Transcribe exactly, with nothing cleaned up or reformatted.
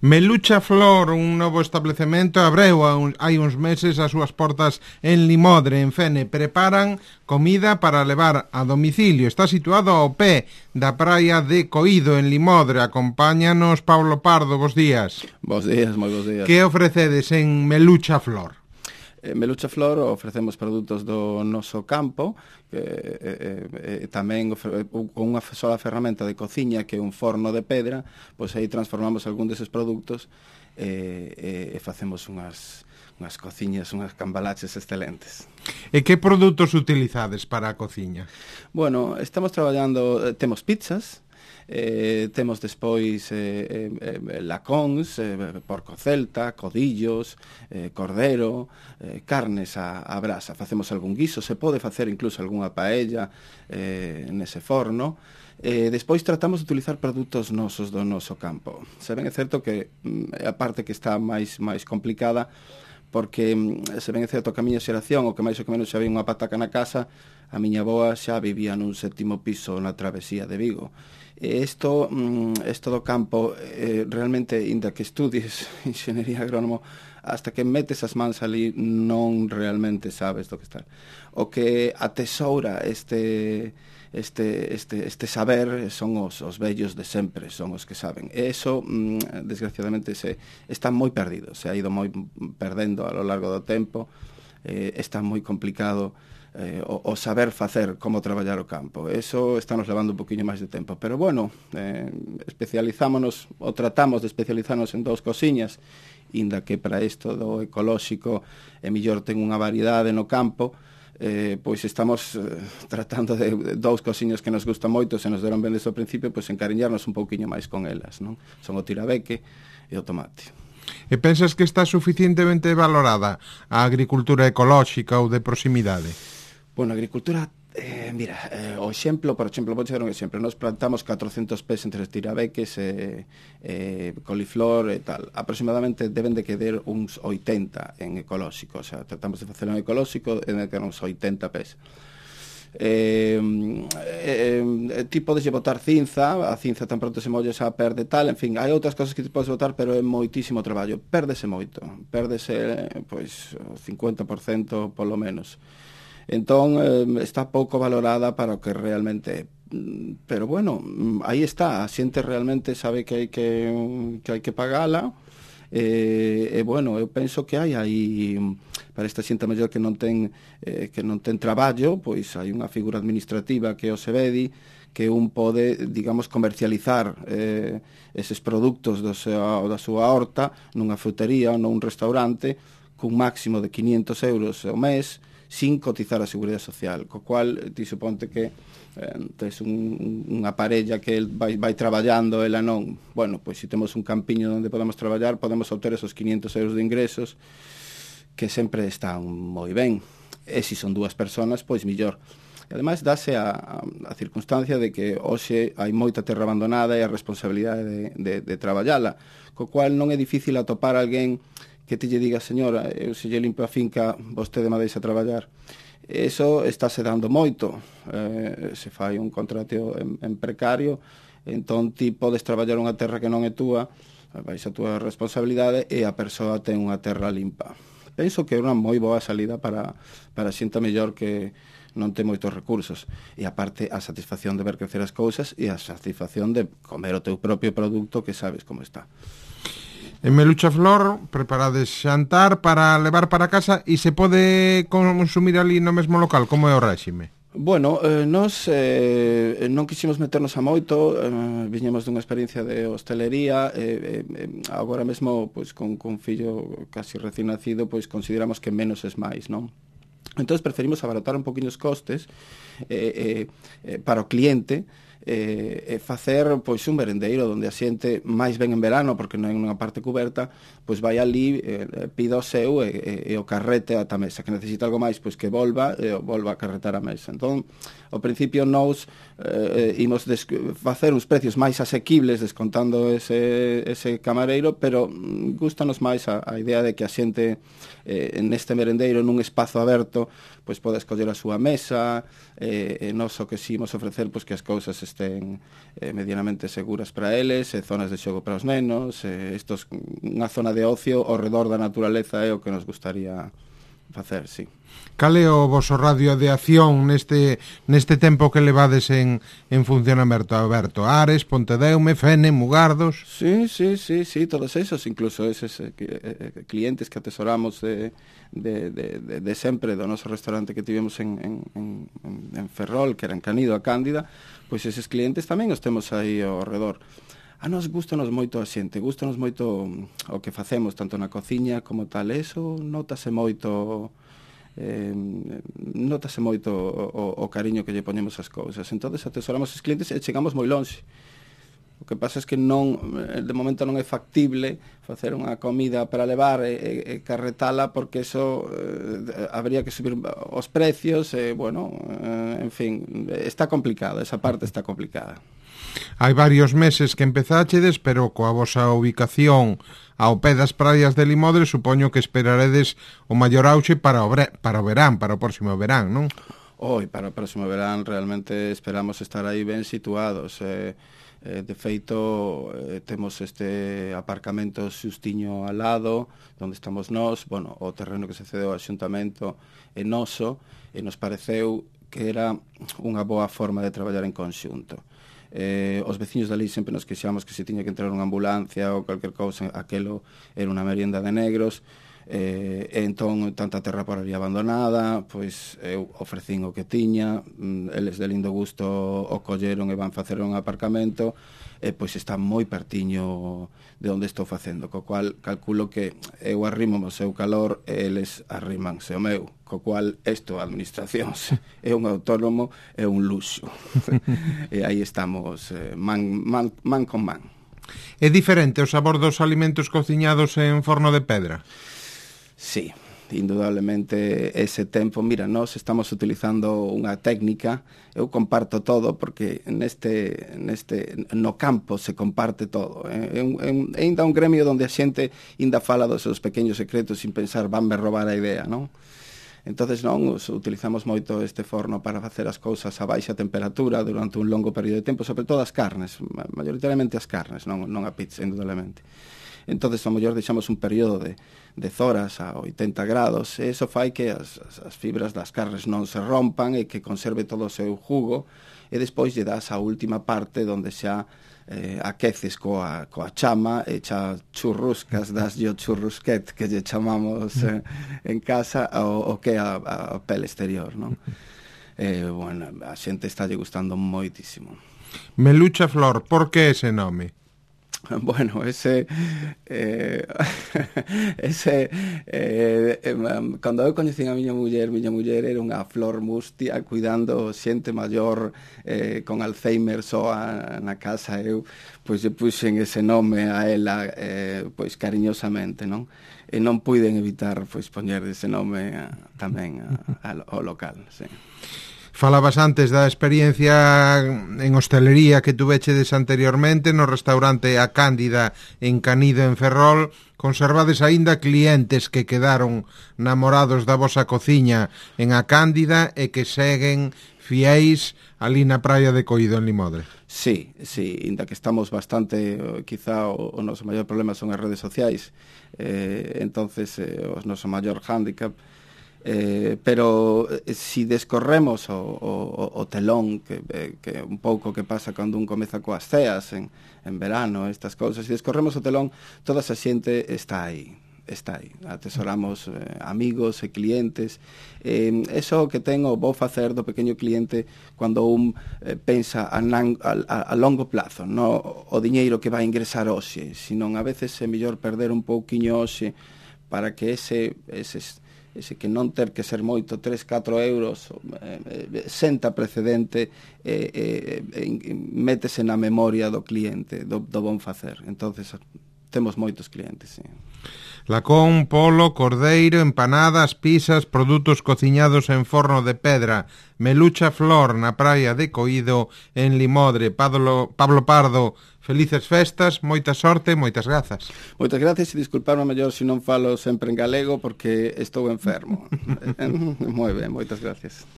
Melucha Flor, un novo establecemento, abreu hai uns meses as súas portas en Limodre, en Fene. Preparan comida para levar a domicilio. Está situado ao pé da praia de Coído, en Limodre. Acompáñanos Pablo Pardo, bos días. Bos días, moi bos días. Que ofrecedes en Melucha Flor? En Melucha Flor ofrecemos produtos do noso campo, que eh, eh, tamén con unha sola ferramenta de cociña que é un forno de pedra, pois aí transformamos algún deses produtos e, eh, e facemos unhas, unhas cociñas, unhas cambalaches excelentes. E que produtos utilizades para a cociña? Bueno, estamos traballando, temos pizzas, Eh, temos despois eh, eh, lacóns, eh, porco celta, codillos, eh, cordero, eh, carnes a, a brasa. Facemos algún guiso, se pode facer incluso algunha paella eh, nese forno. Eh, despois tratamos de utilizar produtos nosos do noso campo. Se ben é certo que é a parte que está máis máis complicada, porque se ben é certo que a miña xeración, o que máis ou que menos xa había unha pataca na casa, a miña avoa xa vivía nun sétimo piso na travesía de Vigo. E isto, isto do campo, eh, realmente, inda que estudies enxeñería agrónomo, hasta que metes as mans ali non realmente sabes do que está. O que atesoura este, este, este, este saber son os, os vellos de sempre, son os que saben. E eso, desgraciadamente, se, está moi perdido, se ha ido moi perdendo a lo largo do tempo, eh, está moi complicado Eh, o, o saber facer como traballar o campo. Eso está nos levando un poquinho máis de tempo, pero bueno, eh, especializámonos ou tratamos de especializarnos en dous cosiñas, inda que para isto do ecolóxico é mellor ten unha variedade no campo, eh, pois estamos eh, tratando de, de dous cosiñas que nos gustan moito, se nos deron ben desde o principio, pois encariñarnos un pouquiño máis con elas, non? Son o tirabeque e o tomate. E pensas que está suficientemente valorada a agricultura ecolóxica ou de proximidade? Bueno, a agricultura, eh, mira, eh, o exemplo, por exemplo, vou dar un exemplo, nos plantamos catrocentos pés entre tirabeques, eh, eh, coliflor e tal, aproximadamente deben de quedar uns oitenta en ecolóxico, o sea, tratamos de facelo en ecolóxico e de quedar uns oitenta pés. Eh, eh, eh, ti podes botar cinza, a cinza tan pronto se molle xa perde tal, en fin, hai outras cosas que ti podes botar, pero é moitísimo traballo, pérdese moito, pérdese, pois, o cincuenta por cento polo menos. Entón, eh, está pouco valorada para o que realmente é. Pero bueno, aí está, a xente realmente sabe que hai que, que, hai que pagala, e, e bueno, eu penso que hai aí, para esta xente mellor que non ten, eh, que non ten traballo, pois hai unha figura administrativa que é o SEBEDI, que un pode, digamos, comercializar eh, eses produtos do seu, da súa horta nunha frutería ou nun restaurante cun máximo de quinientos euros ao mes, sin cotizar a Seguridade Social, co cual ti suponte que eh, tes un, unha parella que vai, vai traballando, ela non, bueno, pois se temos un campiño onde podemos traballar, podemos obter esos quinientos euros de ingresos, que sempre están moi ben, e se son dúas persoas, pois millor. E ademais dáse a, a, a circunstancia de que hoxe hai moita terra abandonada e a responsabilidade de, de, de traballala, co cual non é difícil atopar alguén que te lle diga, señora, eu se lle limpo a finca, vostede me deixa traballar. Eso estáse dando moito. Eh, se fai un contrato en, en precario, entón ti podes traballar unha terra que non é túa, vais a túa responsabilidade e a persoa ten unha terra limpa. Penso que é unha moi boa salida para, para xente mellor que non ten moitos recursos. E aparte, a satisfacción de ver crecer as cousas e a satisfacción de comer o teu propio produto que sabes como está. En Melucha Flor preparades xantar para levar para casa e se pode consumir ali no mesmo local, como é o réxime? Bueno, eh, nos eh, non quixemos meternos a moito, eh, viñemos dunha experiencia de hostelería, eh, eh, agora mesmo, pois, con, con fillo casi recién nacido, pois consideramos que menos es máis, non? Entón, preferimos abaratar un poquinho os costes eh, eh, eh, para o cliente, e eh, facer pois un merendeiro onde a xente máis ben en verano, porque non hai unha parte coberta, pois vai ali, eh, pida o seu e, e, e o carrete ata a mesa, que necesita algo máis, pois que volva e volva a carretar a mesa. Entón, ao principio nós eh, imos facer uns precios máis asequibles descontando ese, ese camareiro, pero gustanos máis a, a idea de que a xente eh, neste merendeiro, nun espazo aberto, pois pode escoller a súa mesa, e, e nós o que si imos ofrecer, pois que as cousas estén estén eh, medianamente seguras para eles, e zonas de xogo para os nenos, e estos, unha zona de ocio ao redor da naturaleza é o que nos gustaría facer, sí. Cal é o voso radio de acción neste neste tempo que levades en, en funcionamento, Alberto? Ares, Pontedeume, Fene, Mugardos? Sí, sí, sí, sí, todos esos, incluso eses eh, eh, clientes que atesoramos de, de, de, de, de sempre do noso restaurante que tivemos en, en, en, en Ferrol, que era en Canido a Cándida, pois eses clientes tamén os temos aí ao redor. A nos gustanos moito a xente, gustanos moito o que facemos, tanto na cociña como tal, eso notase moito... Eh, notase moito o, o cariño que lle poñemos ás cousas. Entonces atesoramos os clientes e chegamos moi lonxe. O que pasa é que non, de momento non é factible facer unha comida para levar e, e, e carretala, porque eso eh, habría que subir os precios e, bueno, eh, en fin, está complicado, esa parte está complicada. Hai varios meses que empezáchedes, pero coa vosa ubicación ao pé das praias de Limodre, supoño que esperaredes o maior auxe para o, bre, para o verán, para o próximo verán, non? Oi, para o próximo verán realmente esperamos estar aí ben situados. Eh, eh, de feito, eh, temos este aparcamento xustiño ao lado, onde estamos nós, bueno, o terreno que se cedeu ao xuntamento é noso, e nos pareceu que era unha boa forma de traballar en conxunto. Eh, os veciños dali sempre nos queixamos que se tiña que entrar unha ambulancia ou calquer cousa, aquelo era unha merienda de negros, eh, e entón tanta terra por ali abandonada, pois eu ofrecín o que tiña, eles de lindo gusto o colleron e van facer un aparcamento, e pois está moi pertiño de onde estou facendo, co cual calculo que eu arrimo o seu calor e eles arrimanse o meu, co cual isto, a administración é un autónomo, é un luxo. E aí estamos eh, man, man, man con man. É diferente o sabor dos alimentos cociñados en forno de pedra? Sí, indudablemente ese tempo. Mira, nós estamos utilizando unha técnica, eu comparto todo, porque neste, neste no campo se comparte todo. É, un, é ainda un gremio onde a xente ainda fala dos seus pequenos secretos sin pensar vanme roubar a idea, non? Entonces non, utilizamos moito este forno para facer as cousas a baixa temperatura durante un longo período de tempo, sobre todo as carnes, maioritariamente as carnes, non, non a pizza, indudablemente. Entonces, ao mellor, deixamos un período de dez horas a oitenta grados, e iso fai que as, as, as fibras das carnes non se rompan e que conserve todo o seu jugo, e despois lle das a última parte onde xa eh, aqueces coa, coa chama e xa churruscas, das yo churrusquet, que lle chamamos eh, en casa, o, o que é a, a pele exterior, non? Eh, bueno, a xente está lle gustando moitísimo. Melucha Flor, por que ese nome? Bueno, ese eh, ese eh, eh, cando eu coñecín a miña muller, miña muller era unha flor mustia cuidando xente maior eh, con Alzheimer soa na casa. Eu pois lle puxen ese nome a ela eh, pois cariñosamente, non? E non puiden evitar pois poñer ese nome a, tamén a, a, ao local, sí. Falabas antes da experiencia en hostelería que tuvechedes anteriormente no restaurante A Cándida en Canido, en Ferrol. Conservades aínda clientes que quedaron namorados da vosa cociña en A Cándida e que seguen fiéis ali na praia de Coído, en Limodre? Sí, sí, inda que estamos bastante, quizá o, o noso maior problema son as redes sociais, eh, entonces eh, o noso maior hándicap. Eh, pero eh, si descorremos o, o, o telón que, eh, que un pouco que pasa cando un comeza coas ceas en, en verano, estas cousas, si descorremos o telón, toda esa xente está aí, está aí, atesoramos eh, amigos e clientes, eh, eso que tengo vou facer do pequeno cliente cando un eh, pensa a, nan, a, a, a longo plazo, no o diñeiro que vai ingresar hoxe, senón a veces é mellor perder un pouquiño hoxe para que ese, eses ese que non ter que ser moito, tres, catro euros, eh, eh, senta precedente e eh, eh, eh, métese na memoria do cliente, do, do bon facer. Entonces temos moitos clientes, sí. Lacón, polo, cordeiro, empanadas, pizzas, produtos cociñados en forno de pedra. Melucha Flor na praia de Coído, en Limodre. Pablo, Pablo Pardo, felices festas, moita sorte, moitas grazas. Moitas gracias e disculparme mellor se non falo sempre en galego porque estou enfermo. Moi ben, moitas gracias.